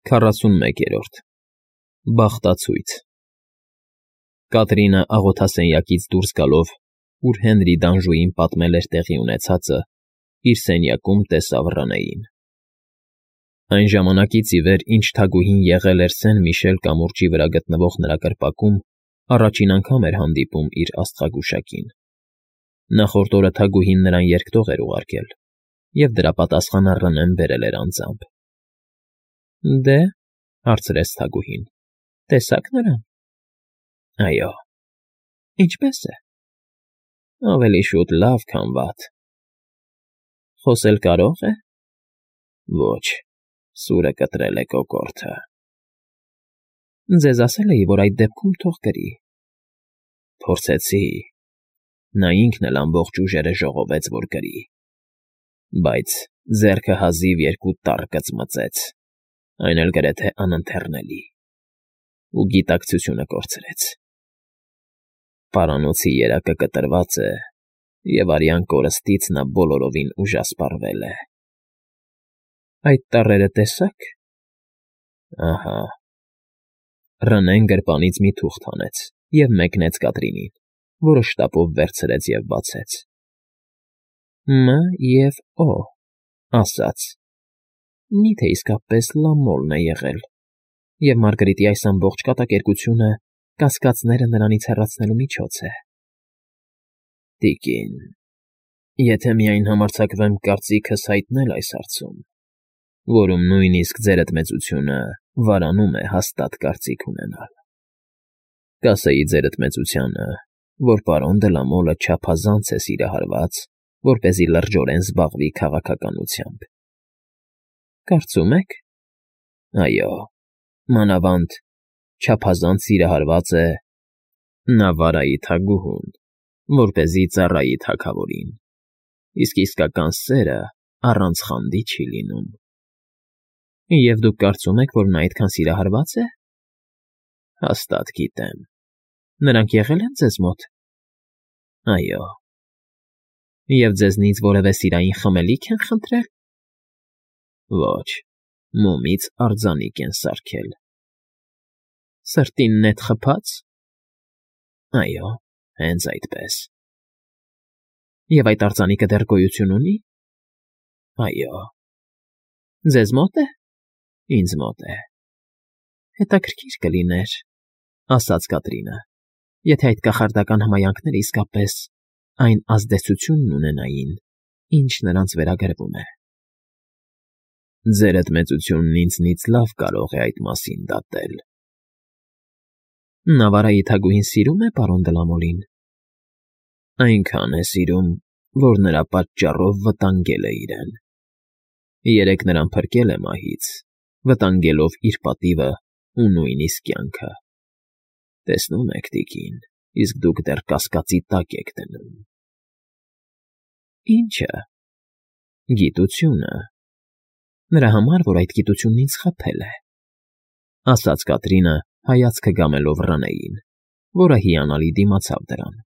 41-րդ Բախտացույց Կատրինը աղոթասենյակից դուրս գալով, ուր Հենրի Դանժուին պատմել էր տեղի ունեցածը, իր սենյակում տեսավ Ռանեին։ Այն ժամանակից ի վեր, ինչ թագուհին եղել էր Սեն֊Միշել կամուրջի վրա գտնվող նրա կրպակում, առաջին անգամ էր հանդիպում իր աստղագուշակին։ Նախորդ օրը թագուհին նրան երկտող էր ուղարկել, և դրա պատասխանը Ռնեն բերել էր անձամբ։ Դե, հարցրեց թագուհին, տեսա՞ք նրան։ Այո։ Ինչպե՞ս է։ Ավելի շուտ լավ, քան վատ։ Խոսել կարո՞ղ է։ Ոչ, սուրը կտրել է կոկորդը։ Ձեզ ասել էի, որ այդ դեպքում թող կրի։ Փորձեցի։ Նա ինքն էլ ամբողջ ուժերը ժողովեց, որ կրի։ Բայց ձեռքը հազիվ երկու տառ կծմծեց, այն էլ գրեթե անընթեռնելի, ու գիտակցությունը կորցրեց։ Պարանոցի երակը կտրված է, և արյան կորստից նա բոլորովին ուժասպառվել է։ Այդ տառերը տեսա՞ք։ Ահա։ Ռնեն գրպանից մի թուղթ հանեց և մեկնեց Կատրինին, որը շտապով վերցրեց և բացեց։ Մ և Օ ասաց. Մի՞թե իսկապես լամոլն է եղել, և Մարգարիտի այս ամբողջ կատակերգությունը կասկածները նրանից հեռացնելու միջոց է։ Տիկին, եթե միայն համարձակվեմ կարծիքս հայտնել այս հարցում, որում նույնիսկ ձերդ մեծությունը վարանում է հաստատ կարծիք ունենալ, կասեի ձերդ մեծությանը, որ պարոն Դլամոլը չափազանց է սիրահարված, որպեսզի լրջորեն զբաղվի քաղաքականությամբ։ Կարծում եք։ Այո, մանավանդ չափազանց սիրահարված է Նավարայի թագուհուն, որպեսզի ծառայի թագավորին, իսկ իսկական սերը առանց խանդի չի լինում։ Եվ դուք կարծում եք, որ նա այդքան սիրահարված է։ Հաստատ գիտեմ։ Նրանք եղել են ձեզ մոտ։ Այո։ Եվ ձեզնից որևէ սիրային խմելիք են խնդրել։ Ոչ, մոմից արձանիկ են սարքել։ Սրտին նետ խփա՞ծ։ Այո, հենց այդպես։ Եվ այդ արձանիկը դեռ գոյություն ունի։ Այո։ Ձեզ մոտ է։ Ինձ մոտ է։ Հետաքրքիր կլիներ, ասաց Կատրինը, եթե այդ կախարդական հմայանքները իսկապես այն ազդեցությունն ունենային, ինչ նրանց վերագրվում է։ Ձերդ մեծությունն ինձնից լավ կարող է այդ մասին դատել։ Նավարայի թագուհին սիրում է պարոն Դլամոլին։ Այնքան է սիրում, որ նրա պատճառով վտանգել է իրեն։ Երեկ նրան փրկել է մահից, վտանգելով իր պատիվը ու նույնիսկ կյանքը։ Տեսնում եք, տիկին, իսկ դուք դեռ կասկածի տակ եք դնում։ Ի՞նչը։ Գիտությունը։ Նրա համար, որ այդ գիտությունն ինձ խաբել է, ասաց Կատրինը, հայացքը գամելով Ռանեին, որը հիանալի դիմացավ դրան։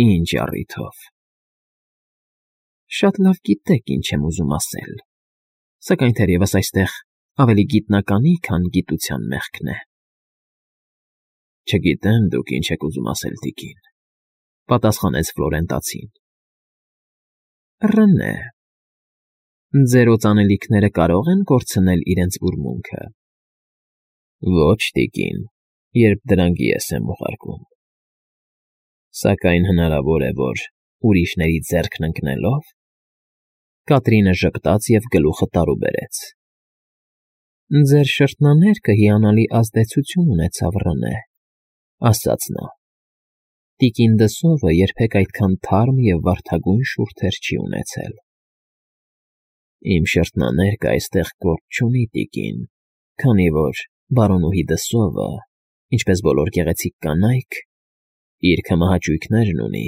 Ինչ առիթով։ Շատ լավ գիտեք, ինչ եմ ուզում ասել, սակայն թերևս այստեղ ավելի գիտնականի, քան գիտության մեղքն է։ Չգիտեմ դուք ինչ եք ուզում ասել, տիկին, պատասխանեց Ֆլորենտացին։ Ռնե։ Ձեր օծանելիքները կարող են կորցնել իրենց ուրմունքը։ Ոչ, տիկին, երբ դրանք ես եմ ուղարկում։ Սակայն հնարավոր է, որ ուրիշների ձեռքն ընկնելով… Կատրինը ժպտաց և գլուխը տարուբերեց։ Ձեր շրթնաներկը հիանալի ազդեցություն ունեցավ, Ռնե, ասաց նա։ Տիկին Դսովը երբեք այդքան թարմ և վարդագույն շուրթեր չի ունեցել։ Իմ շրթնաներկը այստեղ գործ չունի, տիկին, քանի որ բարոնուհի Դսովը, ինչպես բոլոր գեղեցիկ կանայք, իր քմահաճույքներն ունի,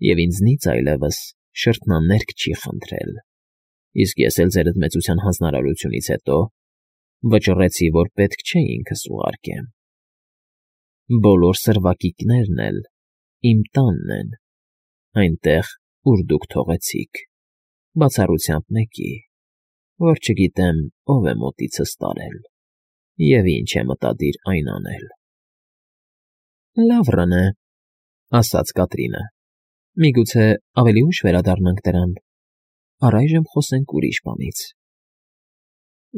և ինձնից այլևս շրթնաներկ չի խնդրել, իսկ ես էլ ձերդ մեծության հանձնարարությունից հետո վճռեցի, որ պետք չէ ինքս ուղարկեմ։ Բոլոր սրվակիկներն էլ իմ տանն են, այնտեղ, ուր դուք թողեցիք, բացառությամբ մեկի, որ չգիտեմ ով է մոտիցս տարել և ինչ է մտադիր այն անել։ Լավ ռնե, ասաց Կատրինը, միգուցե ավելի ուշ վերադառնանք դրան, առայժմ խոսենք ուրիշ բանից։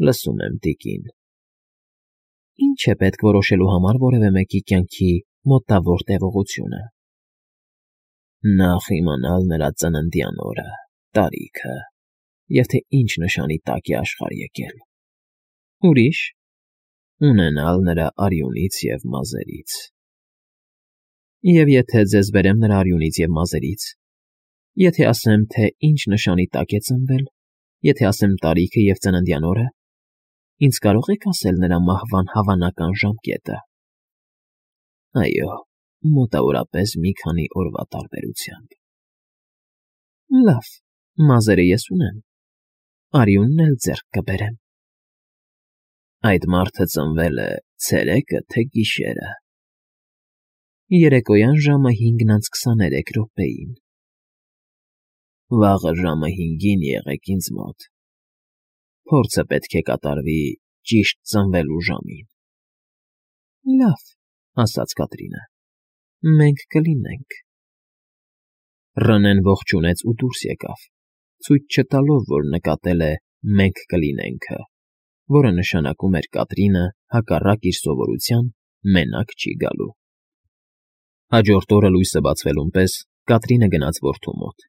Լսում եմ, տիկին։ Ինչ է պետք որոշելու համար որևէ մեկի կյանքի մոտավոր տևողությունը։ Նախ իմանալ նրա ծննդյան օրը, տարիքը, և թե ինչ նշանի տակ է աշխարհ եկել։ Ուրիշ, ունենալ նրա արյունից և մազերից։ Եվ եթե ձեզ բերեմ նրա արյունից և մազերից, եթե ասեմ, թե ինչ նշանի տակ է ծնվել, եթե ասեմ տարիքը և ծննդյան օրը, ինձ կարո՞ղ եք ասել նրա մահվան հավանական ժամկետը։ Այո, մոտավորապես մի քանի օրվա տարբերությամբ։ Լավ, մազերը ես ունեմ, արյունն էլ ձեռք կբերեմ։ Այդ մարդը ծնվել է ցերեկը թե գիշերը։ Երեկոյան ժամը 5:23 Վաղը ժամը 5-ին եղեք ինձ մոտ։ Փորձը պետք է կատարվի ճիշտ ծնվելու ժամին։ Լավ, ասաց Կատրինը, մենք կլինենք։ Ռնեն ողջունեց ու դուրս եկավ, ցույց չտալով, որ նկատել է «մենք կլինենք»-ը, որը նշանակում էր Կատրինը, հակառակ իր սովորության, մենակ չի գալու։ Հաջորդ օրը լույսը բացվելուն պես Կատրինը գնաց որդու մոտ։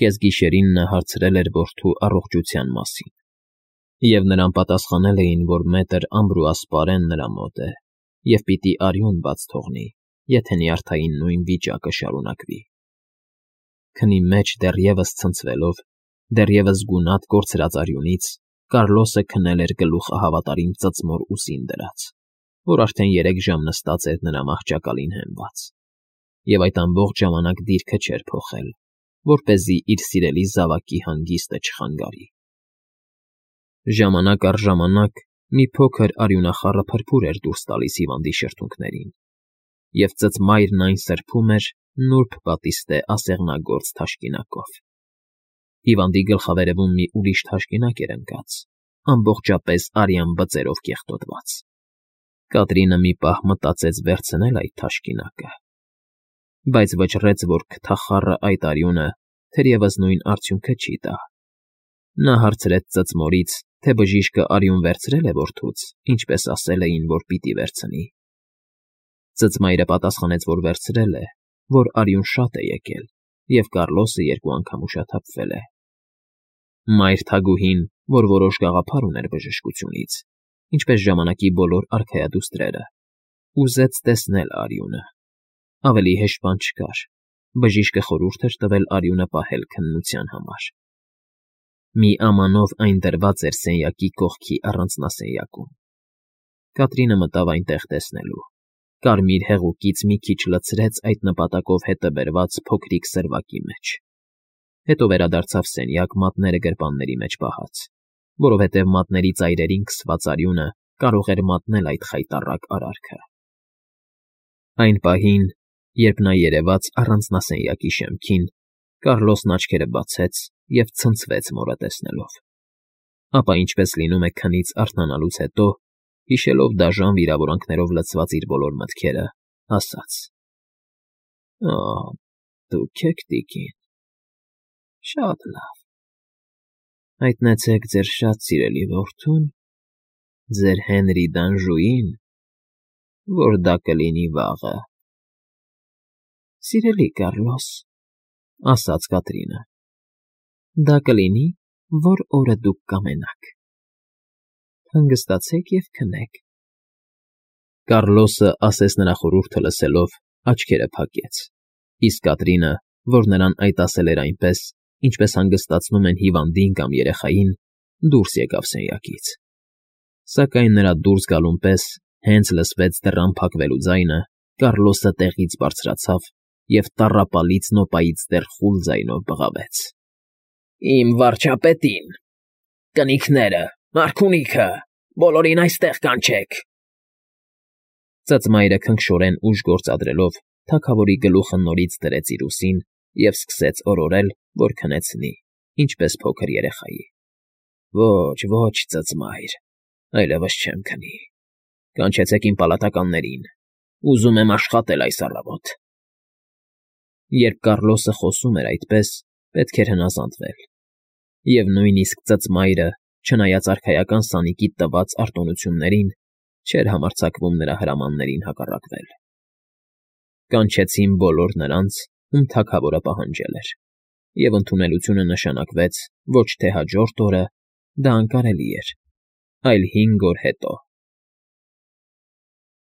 Կեսգիշերին նա հարցրել էր որդու առողջության մասին, և նրան պատասխանել էին, որ մետր Ամբրուաս Պարեն նրա մոտ է և պիտի արյուն բաց թողնի, եթե նյարդային նույն վիճակը շարունակվի։ Քնի մեջ դեռևս ցնցվելով, դեռևս գունատ կորցրած արյունից, Կառլոսը քնել էր գլուխը հավատարիմ ծծմոր ուսին դրած, որ արդեն 3 ժամ նստած էր նրա մահճակալին հենված, և այդ ամբողջ ժամանակ դիրքը չէր փոխել, որպեսզի իր սիրելի զավակի հանգիստը չխանգարի։ Ժամանակ առ ժամանակ մի փոքր արյունախառը փրփուր էր դուրս տալիս հիվանդի շրթունքներին, և ծծմայրն այն սրբում էր նուրբ պատիստե ասեղնագործ թաշկինակով։ Հիվանդի գլխավերևում մի ուրիշ թաշկինակ էր ընկած, ամբողջապես արյան բծերով կեղտոտված։ Կատրինը մի պահ մտածեց վերցնել այդ թաշկինակը, բայց վճռեց, որ քթախառը այդ արյունը թերևս նույն արդյունքը չի տա։ Նա հարցրեց ծծմորից, թե բժիշկը արյուն վերցրել է որդուց, ինչպես ասել էին, որ պիտի վերցնի։ Ծծմայրը պատասխանեց, որ վերցրել է, որ արյուն շատ է եկել, և Կառլոսը 2 անգամ ուշաթափվել է։ Մայր թագուհին, որ որոշ գաղափար ուներ բժշկությունից, ինչպես ժամանակի բոլոր արքայադուստրերը, ուզեց տեսնել արյունը։ Ավելի հեշտ բան չկար, բժիշկը խորհուրդ էր տվել արյունը պահել քննության համար։ Մի ամանով այն դրված էր սենյակի կողքի առանձնասենյակում։ Կատրինը մտավ այնտեղ տեսնելու, կարմիր հեղուկից մի քիչ լցրեց այդ նպատակով հետը բերված փոքրիկ սրվակի մեջ, հետո վերադարձավ սենյակ մատները գրպանների մեջ պահած, որովհետև մատների ծայրերին քսված արյունը կարող էր մատնել այդ խայտառակ արարքը։ Այն պահին, երբ նա երևաց առանձնասենյակի շեմքին, Կառլոսն աչքերը բացեց և ցնցվեց մորը տեսնելով։ Ապա, ինչպես լինում է քնից արթնանալուց հետո, հիշելով դաժան վիրավորանքներով լցված իր բոլոր մտքերը, ասաց. Դուք եք, տիկին, շատ լավ։ Հայտնեցեք ձեր շատ սիրելի որդուն, ձեր Հենրի Դանժուին, որ դա կլինի վաղը։ Սիրելի Կառլոս, ասաց Կատրինը, դա կլինի, որ օրը դուք կամենաք։ Հանգստացեք և քնեք։ Կառլոսը, ասես նրա խորհուրդը լսելով, աչքերը փակեց, իսկ Կատրինը, որ նրան այդ ասել էր այնպես, ինչպես հանգստացնում են հիվանդին կամ երեխային, դուրս եկավ սենյակից։ Սակայն նրա դուրս գալուն պես, հենց լսվեց դռան փակվելու ձայնը, Կառլոսը տեղից բարձրացավ և տառապալից նոպայից դեռ խուլ ձայնով բղավեց. Իմ վարչապետին, կնիկները, արքունիքը, բոլորին այստեղ կանչեք։ Ծծմայրը քնքշորեն ուժ գործադրելով, թագավորի գլուխը նորից դրեց իր ուսին և սկսեց օրորել, որ քնեցնի, ինչպես փոքր երեխայի։ Ոչ, ծծմայր, այլևս չեմ քնի, կանչեցեք իմ պալատականներին, ուզում եմ աշխատել այս առավոտ… Երբ Կառլոսը խոսում էր այդպես, պետք էր հնազանդվել, և նույնիսկ ծծմայրը, չնայած արքայական սանիկի տված արտոնություններին, չէր համարձակվում նրա հրամաններին հակառակվել։ Կանչեցին բոլոր նրանց, ում թագավորը պահանջել էր, և ընդունելությունը նշանակվեց ոչ թե հաջորդ օրը, դա անկարելի էր, այլ 5 օր հետո։